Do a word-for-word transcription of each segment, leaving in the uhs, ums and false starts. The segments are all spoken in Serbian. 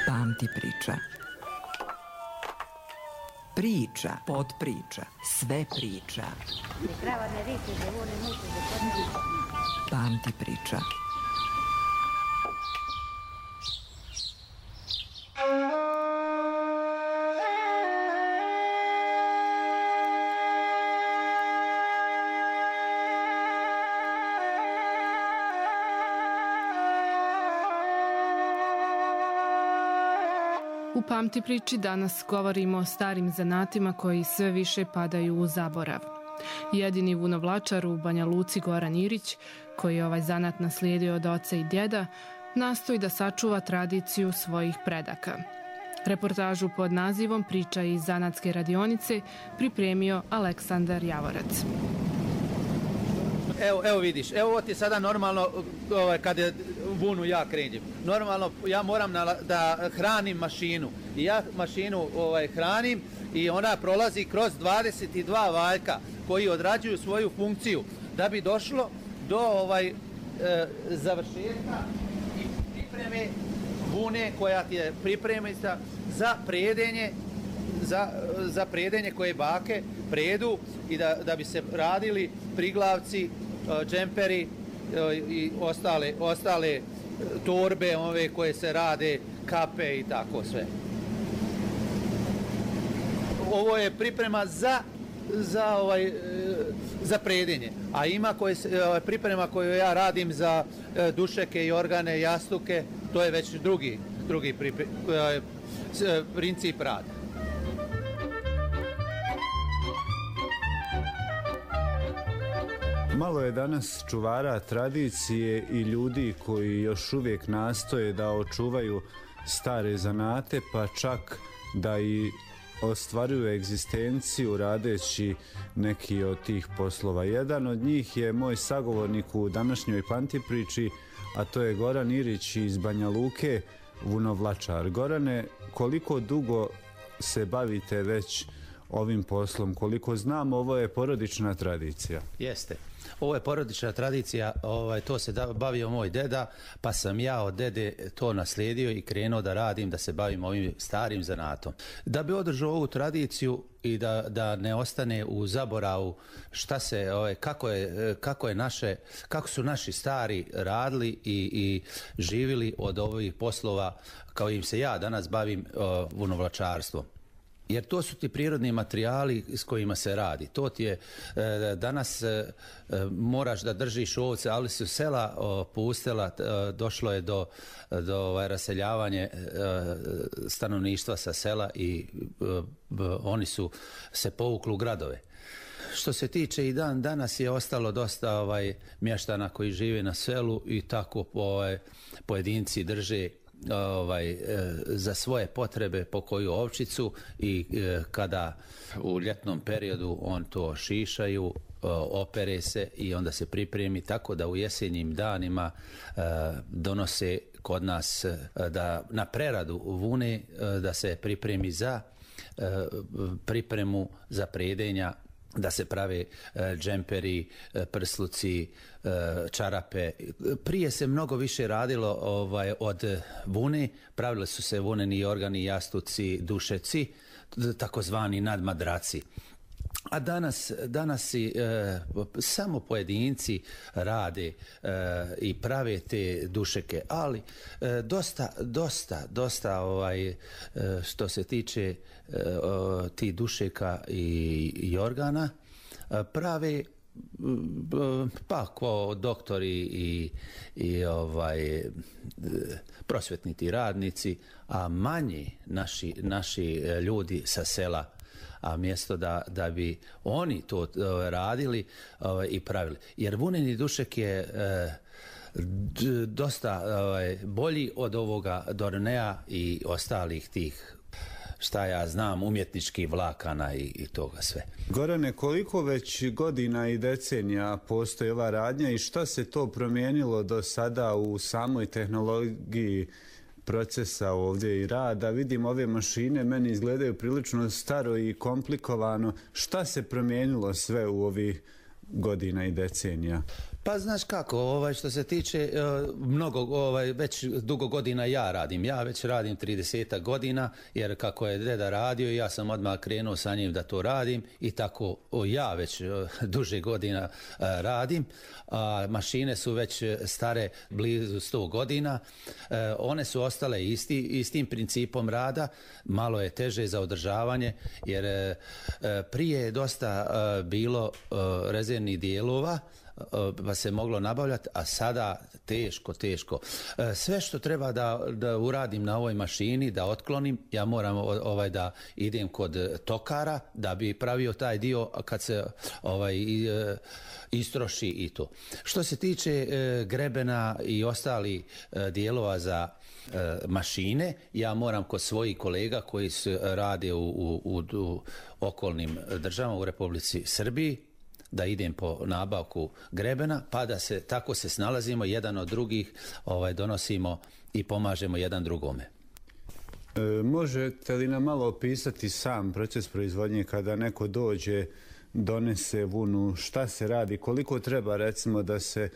Pamti priča. Priča, podpriča, sve priča. Pamti priča. U Pamti priči danas govorimo o starim zanatima koji sve više padaju u zaborav. Jedini vunovlačar u Banja Luci, Goran Irić, koji je ovaj zanat naslijedio od oca i djeda, nastoji da sačuva tradiciju svojih predaka. Reportažu pod nazivom Priča iz zanatske radionice pripremio Aleksandar Javorac. Evo, evo vidiš, evo ovo ti je sada normalno ovaj, kad je vunu ja kređem. Normalno ja moram na, da hranim mašinu i ja mašinu ovaj, hranim i ona prolazi kroz dvadeset dva valjka koji odrađuju svoju funkciju da bi došlo do ovaj, e, završetka i pripreme vune koja ti je pripremita za predenje za, za predenje koje bake predu i da, da bi se radili priglavci, džemperi i ostale, ostale torbe ove koje se rade, kape i tako sve. Ovo je priprema za za ovaj za predenje, a ima koje se, ovaj, priprema koju ja radim za dušeke i organe, jastuke, to je već drugi drugi pripre, princip rada. Malo je danas čuvara tradicije i ljudi koji još uvijek nastoje da očuvaju stare zanate, pa čak da i ostvaruju egzistenciju radeći neki od tih poslova. Jedan od njih je moj sagovornik u današnjoj Pamti priči, a to je Goran Irić iz Banja Luke, vunovlačar. Gorane, koliko dugo se bavite već ovim poslom? Koliko znam, ovo je porodična tradicija. Jeste. Ovo je porodična tradicija, ovaj, to se da, bavio moj deda, pa sam ja od dede to naslijedio i krenuo da radim, da se bavim ovim starim zanatom. Da bi održao ovu tradiciju i da, da ne ostane u zaboravu šta se, ovaj, kako, je, kako, je naše, kako su naši stari radili i, i živili od ovih poslova kao im se ja danas bavim uh, vunovlačarstvom. Jer to su ti prirodni materijali s kojima se radi. To ti je, e, danas e, moraš da držiš ovce, ali su sela o, pustela, e, došlo je do, do ovaj, raseljavanje e, stanovništva sa sela i e, b, oni su se povukli u gradove. Što se tiče i dan danas je ostalo dosta ovaj, mještana koji žive na selu i tako ovaj, pojedinci drže ovaj e, za svoje potrebe po koju ovčicu i e, kada u ljetnom periodu on to šišaju, e, opere se i onda se pripremi, tako da u jesenjim danima e, donose kod nas e, da na preradu vune e, da se pripremi za e, pripremu za predenja, da se prave e, džemperi, e, prsluci, e, čarape. Prije se mnogo više radilo ovaj, od vune, pravile su se vuneni organi, jastuci, dušeci, takozvani nadmadraci. A danas, danas i, e, samo pojedinci rade e, i prave te dušeke, ali e, dosta, dosta, dosta ovaj, e, što se tiče e, o, ti dušeka i, i organa, e, prave pa ko doktori i, i ovaj prosvetniti radnici, a manji naši, naši ljudi sa sela, a mjesto da, da bi oni to uh, radili uh, i pravili. Jer vuneni dušek je uh, d- dosta uh, bolji od ovoga Dornea i ostalih tih, šta ja znam, umjetničkih vlakana i, i toga sve. Gorane, koliko već godina i decenija postoji ova radnja i šta se to promijenilo do sada u samoj tehnologiji procesa ovdje i rada? Vidim ove mašine, meni izgledaju prilično staro i komplikovano. Šta se promijenilo sve u ovih godina i decenija? Pa znaš kako, ovaj, što se tiče mnogo, ovaj, već dugo godina ja radim. Ja već radim trideset godina, jer kako je deda radio, ja sam odmah krenuo sa njim da to radim i tako o, ja već duže godina a, radim. A, mašine su već stare blizu sto godina. E, one su ostale isti, istim principom rada. Malo je teže za održavanje, jer e, prije je dosta e, bilo e, rezervnih dijelova, pa se moglo nabavljati, a sada teško, teško. Sve što treba da, da uradim na ovoj mašini, da otklonim, ja moram ovaj da idem kod tokara da bi pravio taj dio kad se ovaj istroši i to. Što se tiče grebena i ostali dijelova za mašine, ja moram kod svojih kolega koji se rade u, u, u, u okolnim državama u Republici Srbiji da idem po nabavku grebena, pa da se tako se snalazimo jedan od drugih, ovaj donosimo i pomažemo jedan drugome. E, možete li nam malo opisati sam proces proizvodnje kada neko dođe, donese vunu, šta se radi, koliko treba recimo da se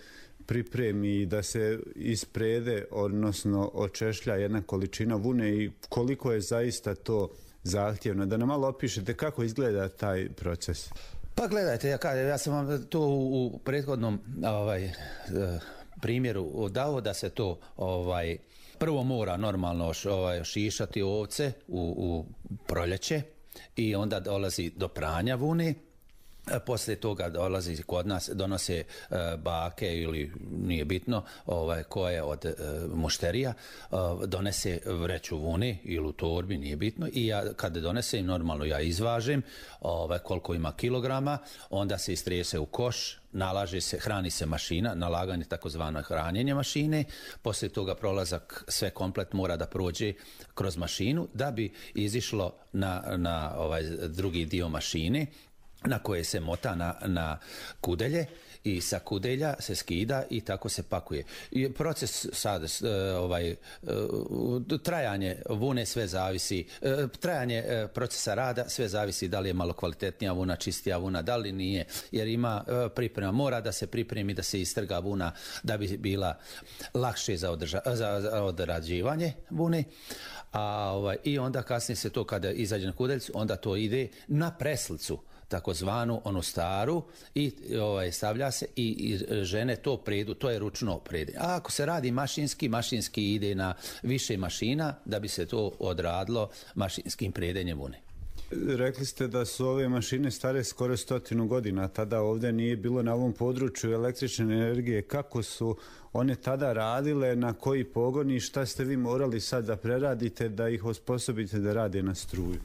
pripremi, da se isprede, odnosno očešlja jedna količina vune i koliko je zaista to zahtjevno? Da nam malo opišete kako izgleda taj proces. Pa gledajte, ja, kažem, ja sam vam to u, u prethodnom ovaj, primjeru dao da se to ovaj, prvo mora normalno ovaj, šišati ovce u, u proljeće i onda dolazi do pranja vune. Poslije toga dolazi kod nas, donose e, bake ili nije bitno ovaj, koje od e, mušterija, e, donese vreću vune ili u torbi, nije bitno i ja kad donesem normalno ja izvažem ovaj, koliko ima kilograma, onda se istrese u koš, nalaže se, hrani se mašina, nalaganje takozvano hranjenje mašine, poslije toga prolazak sve komplet mora da prođe kroz mašinu da bi izišlo na, na ovaj drugi dio mašine na koje se mota na, na kudelje i sa kudelja se skida i tako se pakuje. I proces sad, ovaj, trajanje vune sve zavisi, trajanje procesa rada sve zavisi da li je malo kvalitetnija vuna, čistija vuna, da li nije, jer ima priprema, mora da se pripremi da se istrga vuna da bi bila lakše za, održa, za, za odrađivanje vune. A, ovaj, i onda kasnije se to kada izađe na kudeljcu, onda to ide na preslicu, takozvanu onu staru i ovaj, stavlja se i, i žene to predu, to je ručno prede. A ako se radi mašinski, mašinski ide na više mašina da bi se to odradilo mašinskim predenjem vune. Rekli ste da su ove mašine stare skoro stotinu godina, tada ovdje nije bilo na ovom području električne energije. Kako su one tada radile, na koji pogon i šta ste vi morali sad da preradite da ih osposobite da rade na struju?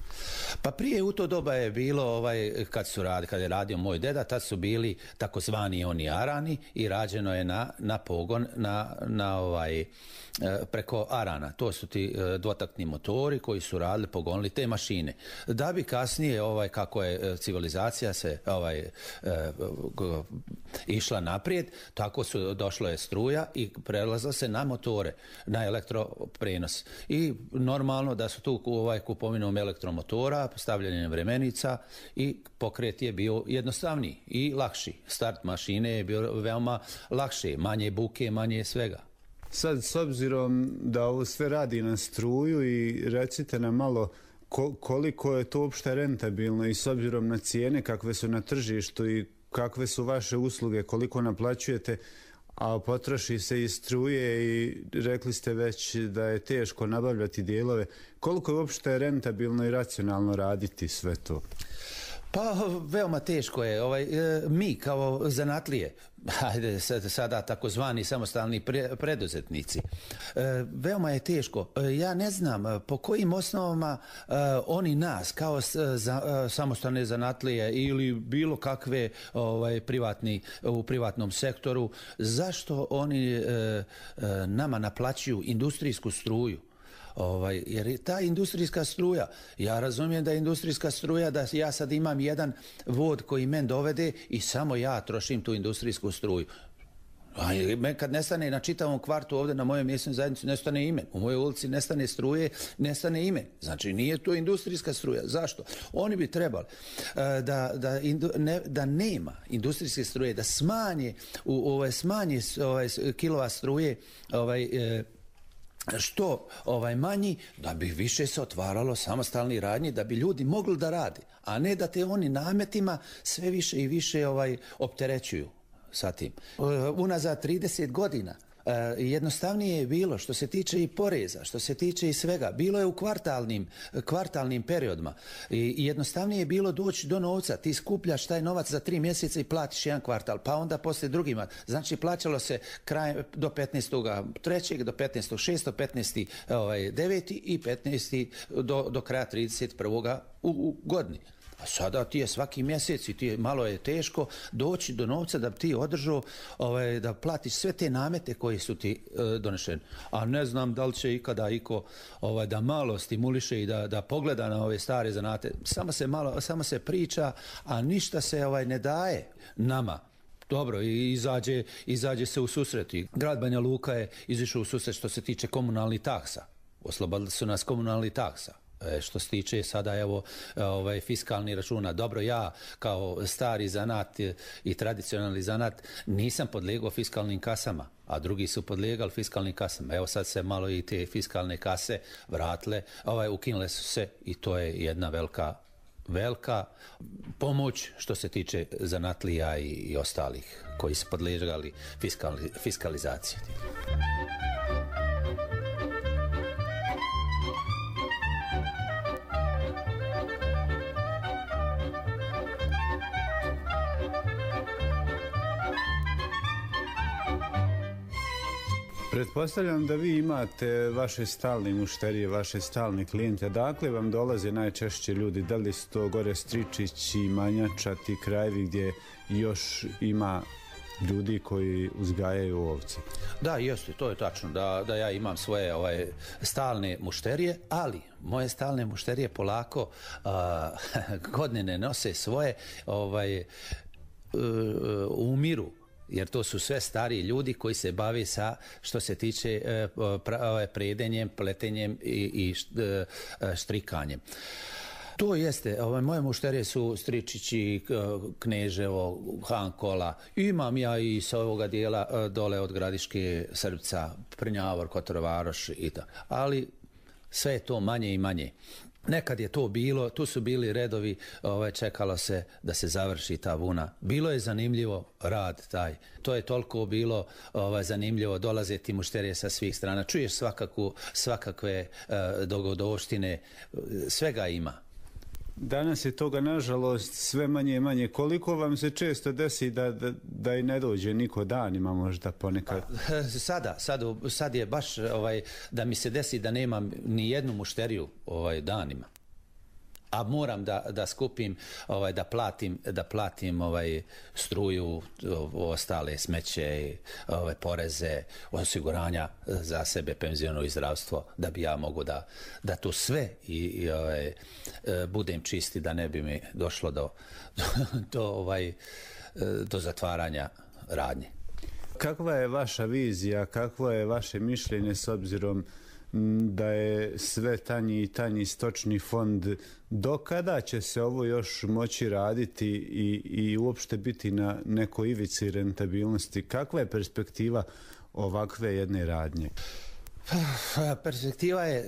Pa prije u to doba je bilo, ovaj, kad, su radi, kad je radio moj deda, tad su bili takozvani oni arani i rađeno je na, na pogon na, na ovaj, preko arana. To su ti dvotaktni motori koji su radili, pogonili te mašine. Da bi kasnije, ovaj, kako je civilizacija se ovaj, išla naprijed, tako su došlo je struja i prelazilo se na motore, na elektroprenos. I normalno da su tu ovaj, kupovinom elektromotora, stavljanjem vremenica i pokret je bio jednostavniji i lakši. Start mašine je bio veoma lakše, manje buke, manje svega. Sad, s obzirom da ovo sve radi na struju i recite nam malo koliko je to uopšte rentabilno i s obzirom na cijene kakve su na tržištu i kakve su vaše usluge, koliko naplaćujete, a potroši se i struje i rekli ste već da je teško nabavljati dijelove. Koliko je uopšte rentabilno i racionalno raditi sve to? Pa veoma teško je. Ovaj, mi kao zanatlije, hajde sada takozvani samostalni pre, preduzetnici, veoma je teško. Ja ne znam po kojim osnovama oni nas kao za, samostalne zanatlije ili bilo kakve ovaj, privatni, u privatnom sektoru, zašto oni nama naplaćuju industrijsku struju? Ovaj, jer je ta industrijska struja, ja razumijem da je industrijska struja da ja sad imam jedan vod koji men dovede i samo ja trošim tu industrijsku struju. A kad nestane na čitavom kvartu ovdje na mojoj mjesnoj zajednici nestane ime, u mojoj ulici nestane struje, nestane ime. Znači nije to industrijska struja. Zašto? Oni bi trebali da, da, ne, da nema industrijske struje, da smanje, u, ovaj, smanje ovaj, kilova struje ovaj, što ovaj manji, da bi više se otvaralo samostalni radnji, da bi ljudi mogli da radi, a ne da te oni nametima sve više i više ovaj opterećuju sa tim. Unazad trideset godina jednostavnije je bilo što se tiče i poreza, što se tiče i svega. Bilo je u kvartalnim, kvartalnim periodima i jednostavnije je bilo doći do novca. Ti skupljaš taj novac za tri mjeseca i platiš jedan kvartal, pa onda poslije drugima. Znači plaćalo se kraj do petnaestog trećeg do petnaestog šestog, petnaestog devetog i petnaestog do, do kraja trideset prvog u, u godini. A sada ti je svaki mjesec i ti je, malo je teško doći do novca da ti održao, ovaj, da platiš sve te namete koji su ti e, donešeni. A ne znam da li će ikada iko ovaj, da malo stimuliše i da, da pogleda na ove stare zanate. Samo se, malo, samo se priča, a ništa se ovaj, ne daje nama. Dobro, i izađe, izađe se u susret. I grad Banja Luka je izišao u susret što se tiče komunalnih taksa. Oslobodili su nas komunalnih taksa. E, što se tiče sada evo ovaj fiskalni računa. Dobro, ja kao stari zanat i tradicionalni zanat nisam podlegao fiskalnim kasama, a drugi su podlegali fiskalnim kasama. Evo sad se malo i te fiskalne kase vratile, ovaj, ukinule su se i to je jedna velika velika pomoć što se tiče zanatlija i, i ostalih koji su podležali fiskali, fiskalizaciji. Pretpostavljam da vi imate vaše stalne mušterije, vaše stalne klijente. Dakle vam dolaze najčešće ljudi? Da li su to gore Stričići, Manjača, ti krajevi gdje još ima ljudi koji uzgajaju ovce? Da, jeste, to je tačno, da, da ja imam svoje ovaj, stalne mušterije, ali moje stalne mušterije polako a, godine nose svoje ovaj, umiru. Jer to su sve stariji ljudi koji se bave sa što se tiče e, pra, predenjem, pletenjem i, i štrikanjem. To jeste, ovaj, moje mušterije su Stričići, Kneževo, Hankola. Imam ja i sa ovoga dijela dole od Gradiške, Srbca, Prnjavor, Kotorvaroš i tako. Ali sve je to manje i manje. Nekad je to bilo, tu su bili redovi, ovaj, čekalo se da se završi ta vuna. Bilo je zanimljivo rad taj. To je toliko bilo ovaj, zanimljivo, dolaze ti mušterije sa svih strana. Čuješ svakaku, svakakve uh, dogodovštine, svega ima. Danas je toga nažalost sve manje i manje. Koliko vam se često desi da, da, da i ne dođe niko danima možda ponekad? Sada, sad, sad je baš ovaj, da mi se desi da nemam ni jednu mušteriju ovaj, danima. A moram da, da skupim, ovaj, da platim, da platim ovaj, struju, ostale smeće, ovaj, poreze, osiguranja za sebe, penziono i zdravstvo, da bi ja mogu da, da to sve i, i ovaj, budem čisti, da ne bi mi došlo do, do, do, ovaj, do zatvaranja radnje. Kakva je vaša vizija, kakvo je vaše mišljenje s obzirom da je sve tanji i tanji stočni fond? Do kada će se ovo još moći raditi i, i uopšte biti na nekoj ivici rentabilnosti? Kakva je perspektiva ovakve jedne radnje? Perspektiva je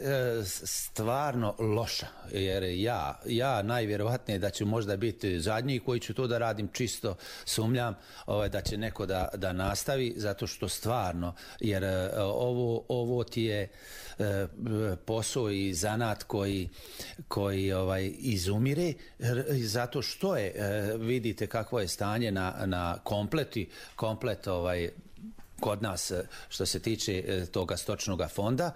stvarno loša, jer ja, ja najvjerovatnije da ću možda biti zadnji koji ću to da radim, čisto sumnjam ovaj, da će neko da, da nastavi, zato što stvarno, jer ovo, ovo ti je posao i zanat koji, koji ovaj, izumire, zato što je, vidite kakvo je stanje na, na kompleti, komplet ovaj, kod nas što se tiče toga stočnog fonda.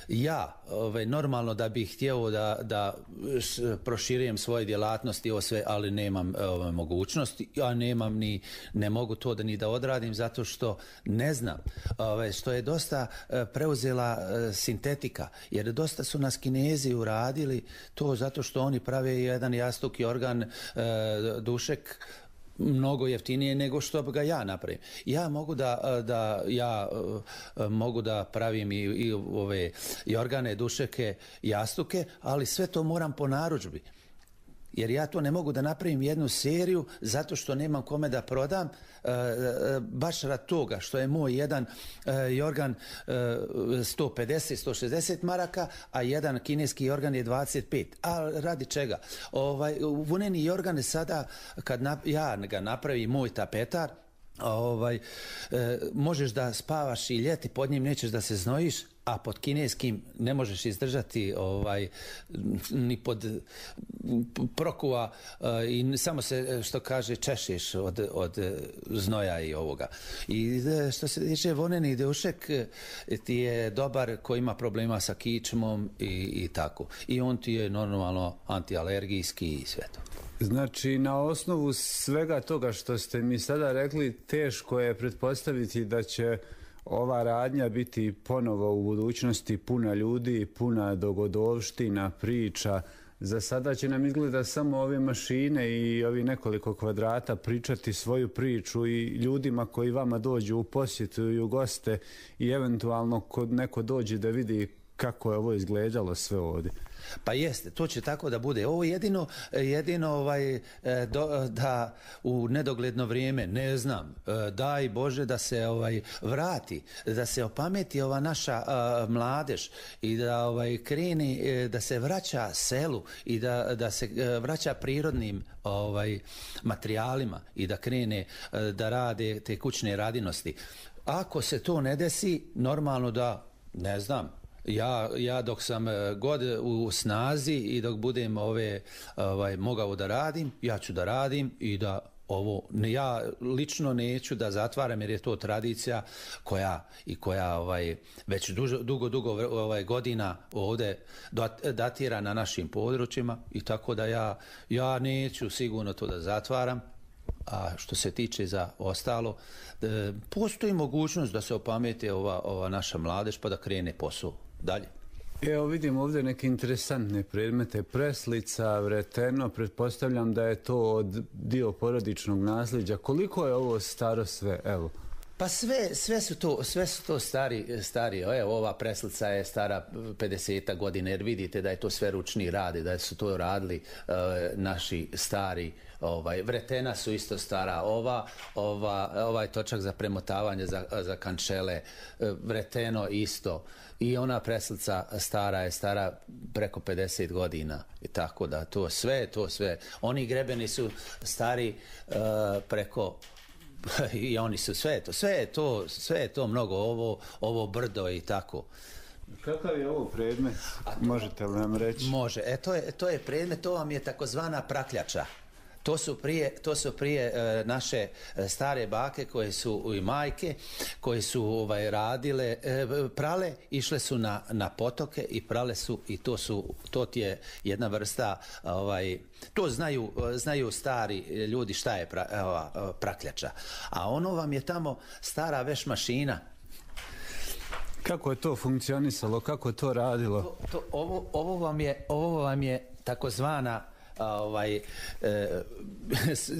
Ja ove, normalno da bih htio da, da proširujem svoje djelatnosti, ovo sve, ali nemam ove, mogućnosti, ja nemam ni, ne mogu to da ni da odradim zato što ne znam, ove, što je dosta preuzela sintetika, jer dosta su nas Kinezi uradili to zato što oni prave jedan jastuki organ, dušek, mnogo jeftinije nego što ga ja napravim. Ja mogu da, da ja mogu da pravim i, i ove i organe, dušeke, jastuke, ali sve to moram po narudžbi. Jer ja to ne mogu da napravim jednu seriju zato što nemam kome da prodam, e, e, baš rad toga što je moj jedan e, jorgan e, sto pedeset do sto šezdeset maraka, a jedan kineski jorgan je dvadeset pet. A radi čega? Ovaj, vuneni jorgan sada, kad na, ja ga napravim, moj tapetar, ovaj, e, možeš da spavaš i ljeti, pod njim nećeš da se znojiš, a pod kineskim ne možeš izdržati ovaj, ni pod prokuva uh, i samo se, što kaže, češeš od, od znoja i ovoga. I što se tiče voneni dušek, ti je dobar ko ima problema sa kičmom i, i tako. I on ti je normalno antialergijski i sve to. Znači, na osnovu svega toga što ste mi sada rekli, teško je pretpostaviti da će ova radnja biti ponovo u budućnosti puna ljudi, puna dogodovština, priča. Za sada će nam izgleda samo ove mašine i ovi nekoliko kvadrata pričati svoju priču i ljudima koji vama dođu u posjetu i u goste i eventualno kod neko dođe da vidi kako je ovo izgledalo sve ovdje. Pa jeste, to će tako da bude. Ovo jedino, jedino ovaj, do, da u nedogledno vrijeme, ne znam, daj Bože da se ovaj vrati, da se opameti ova naša uh, mladež i da ovaj kreni, da se vraća selu i da, da se vraća prirodnim ovaj materijalima i da krene da rade te kućne radinosti. Ako se to ne desi, normalno da, ne znam, Ja, ja dok sam god u snazi i dok budem ove, ovaj, mogao da radim, ja ću da radim i da ovo, ja lično neću da zatvaram jer je to tradicija koja i koja ovaj, već dužo, dugo, dugo ovaj, godina ovdje datira na našim područjima i tako da ja, ja neću sigurno to da zatvaram. A što se tiče za ostalo, e, postoji mogućnost da se opameti ova, ova naša mladež pa da krene posao dalje. Evo vidim ovdje neke interesantne predmete, preslica, vreteno, pretpostavljam da je to od dio porodičnog nasljeđa. Koliko je ovo staro sve, evo? Pa sve, sve su to, sve su to stari, stari. Evo, ova preslica je stara pedeset godina, jer vidite da je to sve ručni radi, da su to radili uh, naši stari. Ovaj, vretena su isto stara, ova, ova, ovaj točak za premotavanje za, za kančele, vreteno isto. I ona preslica stara je stara preko pedeset godina i tako da to sve, to sve. Oni grebeni su stari uh, preko i oni su sve to, sve je to, sve je to mnogo, ovo, ovo brdo i tako. Kakav je ovo predmet? Možete li nam reći? Može, e, to, je, to je predmet, to vam je takozvana prakljača. To su prije, to su prije e, naše stare bake koje su i majke koje su ovaj radile e, prale, išle su na, na potoke i prale su i to su to ti je jedna vrsta ovaj to znaju znaju stari ljudi šta je pra, ova, prakljača. A ono vam je tamo stara veš mašina. Kako je to funkcionisalo, kako je to radilo? To, to, ovo, ovo vam je ovo vam je takozvana ovaj, e,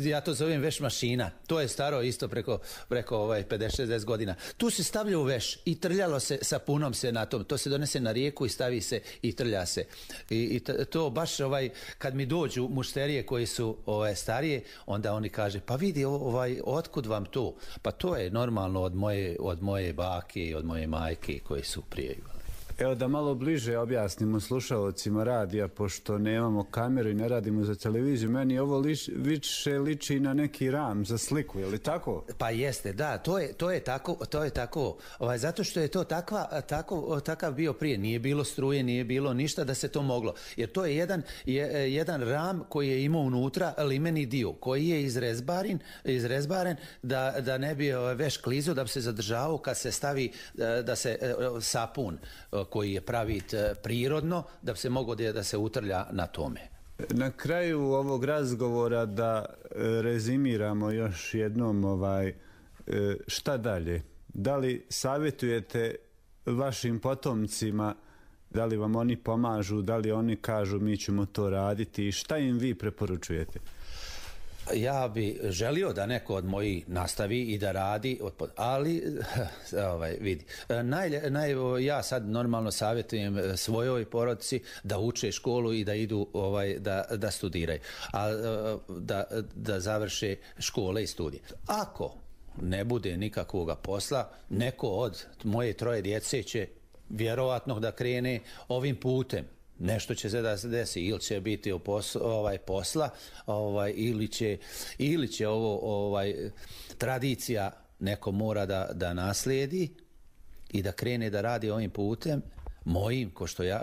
ja to zovem veš mašina. To je staro isto preko, preko ovaj, pedeset šezdeset godina. Tu se stavlja u veš i trljalo se, sa punom se na tom. To se donese na rijeku i stavi se i trlja se. I, i to baš ovaj, kad mi dođu mušterije koji su ovaj, starije, onda oni kaže, pa vidi, ovaj, otkud vam to? Pa to je normalno od moje, od moje bake i od moje majke koji su prije. Evo da malo bliže objasnimo slušalcima radija, pošto nemamo kameru i ne radimo za televiziju, meni ovo liš, više liči na neki ram za sliku, je li tako? Pa jeste, da, to je, to je tako, to je tako, ovaj, zato što je to takva, tako, takav bio prije, nije bilo struje, nije bilo ništa da se to moglo, jer to je jedan, je, jedan ram koji je imao unutra limeni dio, koji je izrezbaren, izrezbaren da, da ne bi veš klizo, da bi se zadržavao kad se stavi, da se sapun koji je pravit prirodno, da bi se moglo da se utrlja na tome. Na kraju ovog razgovora da rezimiramo još jednom ovaj, šta dalje. Da li savjetujete vašim potomcima, da li vam oni pomažu, da li oni kažu mi ćemo to raditi i šta im vi preporučujete? Ja bi želio da neko od mojih nastavi i da radi, ali ovaj, vidi, naj, naj, ja sad normalno savjetujem svojoj porodici da uče školu i da idu ovaj, da, da studiraju, a da, da završe škole i studije. Ako ne bude nikakvoga posla, neko od moje troje djece će vjerovatno da krene ovim putem. Nešto će se da se desi, ili će biti pos, ovaj, posla, ovaj, ili, će, ili će ovo ovaj, tradicija neko mora da, da naslijedi i da krene da radi ovim putem, mojim, ko što ja,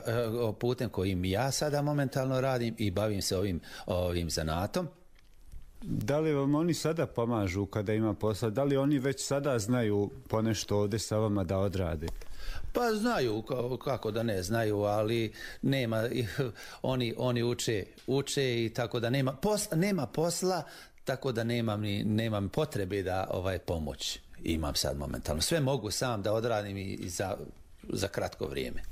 putem kojim ja sada momentalno radim i bavim se ovim, ovim zanatom. Da li vam oni sada pomažu kada ima posla? Da li oni već sada znaju ponešto ovdje sa vama da odrade? Pa znaju, kako da ne znaju, ali nema, oni, oni uče, uče i tako da nema posla, nema posla, tako da nemam, ni, nemam potrebe da ovaj pomoć imam sad momentalno. Sve mogu sam da odradim i, i za, za kratko vrijeme.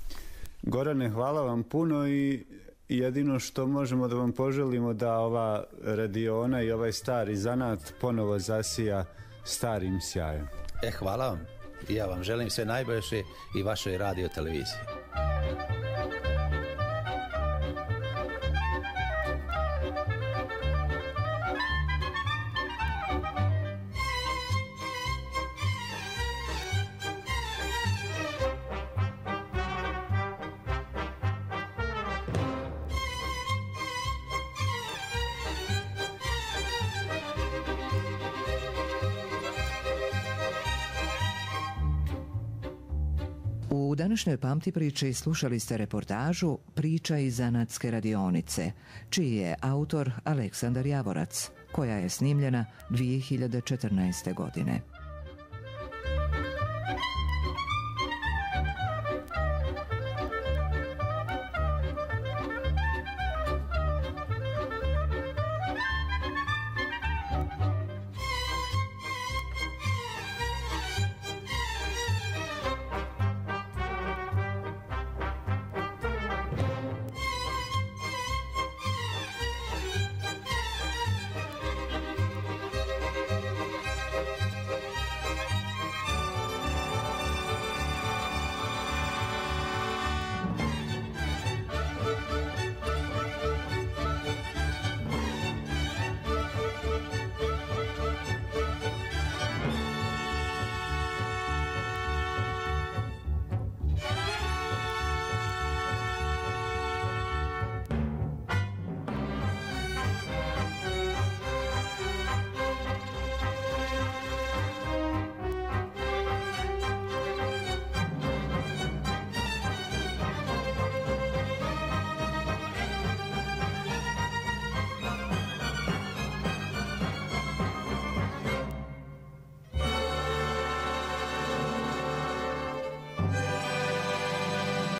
Gorane, hvala vam puno i jedino što možemo da vam poželimo da ova radiona i ovaj stari zanat ponovo zasija starim sjajem. E, hvala vam. I ja vam želim sve najbolje i vašoj radio televiziji. U današnjoj Pamti priči slušali ste reportažu Priča iz zanatske radionice, čiji je autor Aleksandar Javorac, koja je snimljena dvije hiljade četrnaeste. godine.